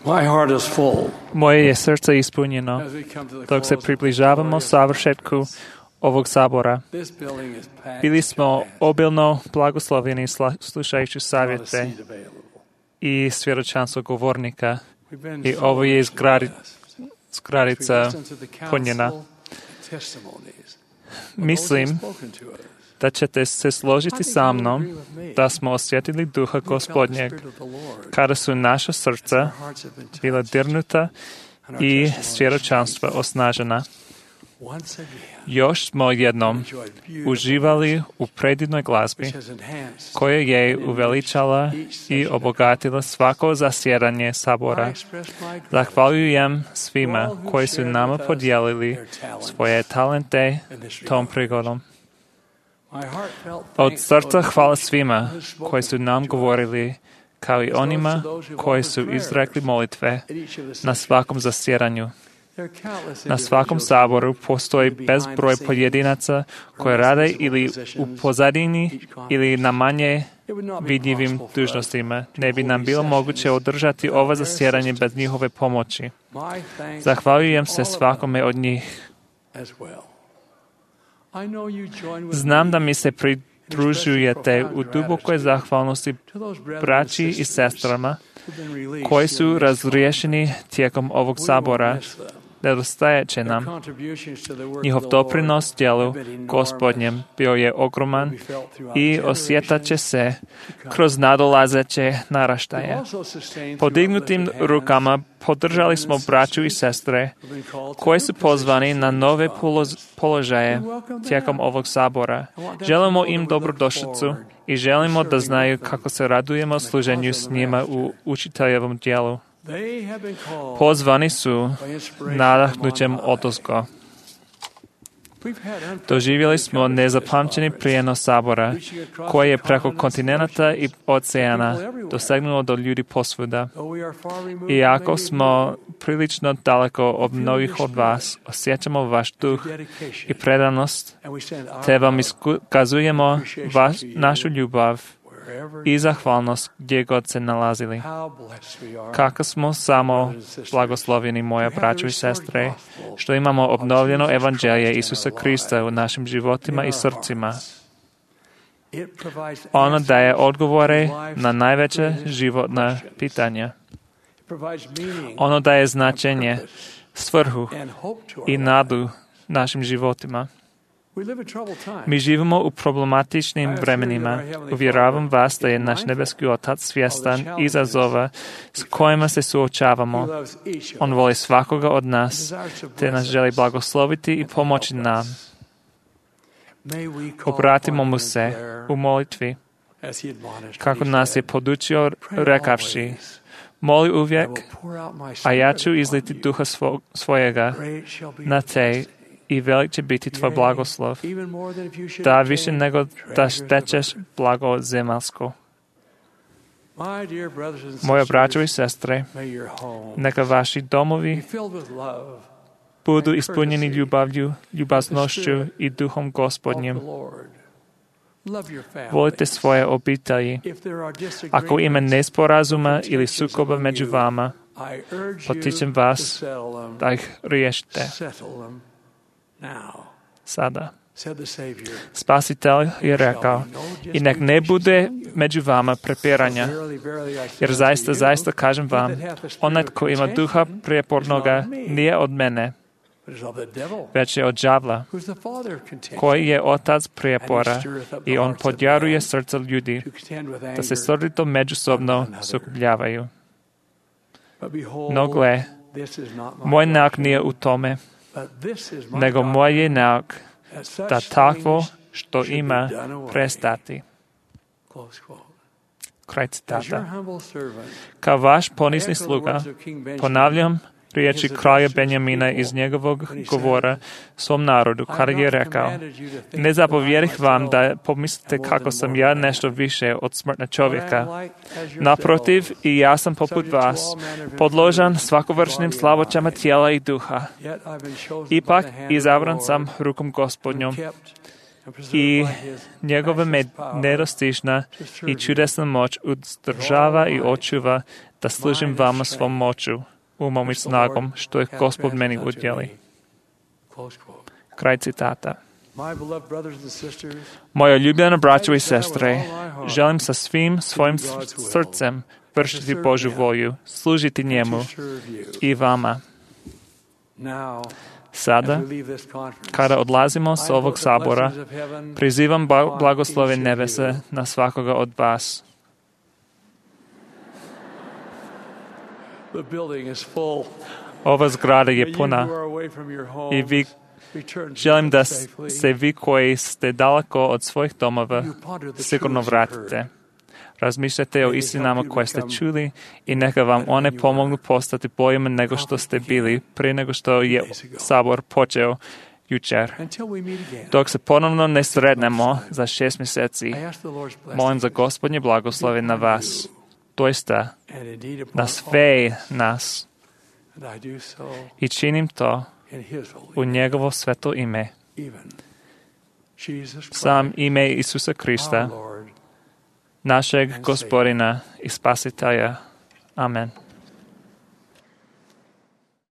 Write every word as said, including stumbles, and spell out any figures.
My heart is full. Moje je srdce ispunjeno, As we come to the dok se close of približavamo this savršetku ovog sabora. This building is packed Bili smo to pass. obilno blagosloveni sla- slušajući Not a savjete seat available. i svjedočanstvo govornika. We've been I so ovo je richly zgradi- blessed. zgradica As we listen to the punjena. counsel and testimonies of Mislim those who have spoken to us. da ćete se I složiti think sa you will mnom agree with me. da smo osjetili duha We felt the Gospodnjeg Spirit of the Lord kada su naša as srca our hearts have been bila touched dirnuta and our i testimonies svjedočanstva strengthened. osnažena. Once again, Još smo jednom enjoyed beautiful uživali u predivnoj glazbi which has enhanced koja je uveličala i obogatila svako zasjedanje I sabora. express my gratitude Zahvaljujem svima koji su nama podijelili their talents svoje talente in this tom regard. prigodom. My heartfelt Od thanks srca goes to hvala each svima who has spoken koji su nam to us govorili, kao i onima koji su izrekli molitve at each of the na sessions. svakom zasjedanju. There are countless Na svakom individuals saboru postoji bezbroj pojedinaca koji rade ili u pozadini ili na manje It would not be vidljivim possible for us dužnostima. to Ne bi hold nam these bilo sessions moguće održati without ova their zasjedanje bez assistance. njihove pomoći. My thanks Zahvaljujem to se all of svakome od njih. them as well. I know you join with Znam me da mi se pridružujete u dubokoj zahvalnosti to those brethren and braći i sisters sestrama who've been released koji in su this razriješeni tijekom ovog We won't sabora. miss them. Nedostajat će Their nam. contributions to the work Njihov of the Lord doprinos djelu have been enormous. Gospodnjem bio je ogroman Will be felt throughout i generations osjetat će se to come. kroz nadolazeće We've naraštaje. also sustained Podignutim through uplifted rukama hands podržali smo braću i sestre who've been called to koji new su pozvani positions na in nove this poloz- office. položaje We welcome them. tijekom ovog sabora. I want them to Želimo know im that we look dobrodošlicu forward i želimo to da serving znaju with them kako se radujemo in the služenju cause of s the njima Master. u učiteljevom djelu. They have been called Pozvani su by inspiration nadahnućem from on high. odozgo. We've had unprecedented Doživjeli smo coverage of this nezapamćeni conference, prijenos sabora reaching across koji je the preko continents and kontinenta i oceans. oceana People everywhere. dosegnulo do ljudi posvuda. Though we are far removed Iako from many of smo you, prilično daleko od mnogih od vas, osjećamo vaš duh your dedication, i predanost, and we send our te vam love iskazujemo vaš, našu ljubav wherever i zahvalnost gdje god se nalazili. how blessed we are. Kako smo samo blagosloveni, moja braćo i sestre, što imamo obnovljeno evanđelje Isusa Krista u našim životima i srcima. It provides Ono daje answers odgovore to life's na najveće greatest životna questions. pitanja. It provides meaning Ono daje značenje, svrhu and hope to our i lives. nadu našim životima. We live in troubled times. Mi živimo u problematičnim vremenima. Uvjeravam vas da je naš nebeski Otac svjestan izazova s kojima se He suočavamo. loves each of On us. voli svakoga od nas, Desires to te nas bless želi us blagosloviti i and pomoći help nam. us. May we call Obratimo upon mu him se in prayer u molitvi, as he admonished kako when he nas je said, podučio "Pray rekavši, always, moli I uvijek, will pour out my a ja spirit ću upon izliti you. duha svo, svojega Great shall be na your te blessing. i velik će biti tvoj Yea, blagoslov. even more than if you should Da obtain više nego da treasures of stečeš earth." blago zemalsko. My dear brothers and Moje braćo i sisters, sestre, may your home neka vaši be domovi filled with love budu and ispunjeni courtesy ljubavlju, ljubaznošću i duhom of Gospodnjim. the Lord. Love your family. Volite svoje obitelji. If there are Ako ima disagreements, nesporazuma ili sukoba među vama, I urge you potičem to vas settle them. da ih riješite Settle them now, sada. said the Savior. Spasitelj je rekao, i nek ne bude među vama prepiranja, Verily, verily, I say jer unto zaista, you, zaista kažem vam, he that hath the spirit onaj of ko ima duha contention prijepornoga nije od mene, but is of the devil, već je od đavla, who's the father of contention, koji je otac prijepora i on podjaruje srca ljudi to contend with da se anger. srdito međusobno sukobljavaju. But behold, No gle, this is not my moj nauk doctrine, nije u tome, but this is my nego moj je nauk doctrine, that such da takvo things što should be ima done away. prestati. Close quote. Kraj As your citata. humble servant, Kao vaš ponizni echo the sluga, words of King Benjamin, ponavljam riječi kralja Benjamina iz njegovog govora svom narodu, kada je rekao, ne zapovjedih vam da pomislite kako sam ja nešto više od smrtna čovjeka. Naprotiv, i ja sam poput vas, podložan svakovršnim slavoćama tijela i duha. Ipak, izabran sam rukom Gospodnjom i njegova med nedostižna i čudesna moć uzdržava i očuva da služim vama svom moću, umom i snagom, što je Gospod meni udjeli. Kraj citata. Moja ljubljena braćo i sestre, želim sa svim svojim srcem vršiti Božju volju, služiti njemu i vama. Sada, kada odlazimo s ovog sabora, prizivam blagoslove nebesa na svakoga od vas. Ova zgrada je puna i vi želim da se vi koji ste daleko od svojih domova sigurno vratite. Razmišljajte o istinama koje ste čuli i neka vam one pomognu postati boljima nego što ste bili prije nego što je sabor počeo jučer. Dok se ponovno ne sretnemo za šest mjeseci, molim za Gospodnje blagoslove na vas, doista na sve nas, i činim to u njegovo sveto ime, sam ime Isusa Krista, našeg Gospodina i Spasitelja. Amen.